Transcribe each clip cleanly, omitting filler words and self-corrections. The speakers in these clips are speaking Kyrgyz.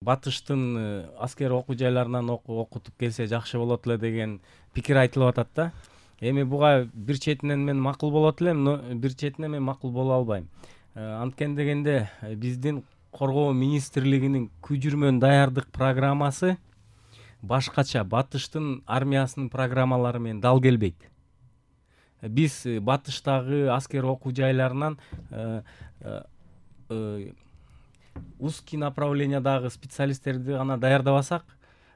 Батыштын аскер окуу жайларынан окутуп келсе жакшы болот эле деген пикир айтылып атат да. Эми буга бир четинен мен макул болот элем, но бир четинен мен макул боло албайм. Анткен дегенде биздин Коргоо министрлигинин көчүрмөн даярдык программасы башкача, Батыштын армиясынын программалары менен дал келбейт. Биз Батыштагы аскер окуу жайларынан узкий направлениядагы специалисттерди гана даярдабасак,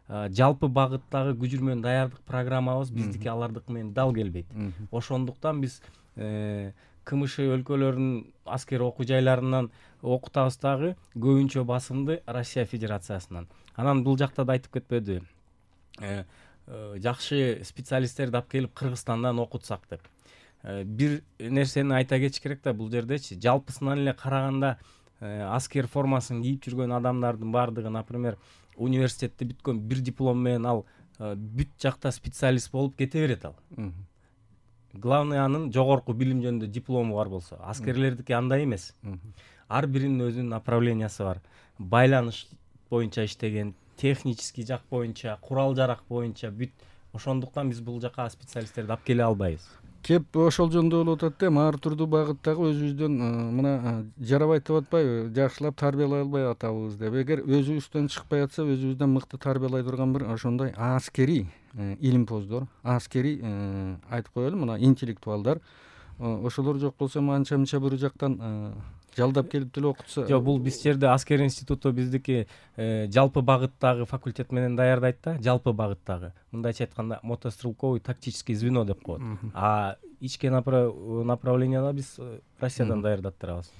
жалпы багыттагы көчүрмөн даярдык программабыз биздики алардык менен дал келбейт. Ошондуктан биз КМШ өлкөлөрүнүн аскер окуу жайларынан окутабыз дагы, көбүнчө басымды Россия Федерациясынан. Анан бул жакта да айтып кетпеди. Жакшы специалисттерди алып келип Кыргызстандан окутсак деп. Бир нерсени айта кетиш керек да бул жердечи. Жалпысынан эле караганда аскер формасын кийип жүргөн адамдардын бардыгы, например, университетти бүткөн, бир диплом менен ал бүт жакта специалист болуп кете берет ал. Главный анын жогорку билим жөнүндө диплому бар болсо, аскерлердики андай эмес. Ар биринин өзүнүн направлениясы бар. Байланыш боюнча иштеген, технический жак боюнча, курал-жарак боюнча бүт. Ошондуктан биз бул жака специалисттерди алып келе албайбыз. Кеп ошол жөнүндө болуп атат да, ар түрдүү багыттагы өзүбүздөн мына жарабайт деп атпайбы, жакшылап тарбиялай албай атабыз деп. Эгер өзүбүздөн чыкпай атса, өзүбүздөн мыкты тарбиялай турган бир ошондой аскери илимпоздор, аскери айтып коелу, мына интеллектуалдар, ошолор жок болсо анча-мынча бир жактан жалдап келип деле окутса. Жок, бул биз жерде аскер институту биздики жалпы багыттагы факультет менен даярдайт да, жалпы багыттагы. Мындайча айтканда мотострелковый тактический звено деп коет. А ички направленияда биз Россиядан даярдап турабыз.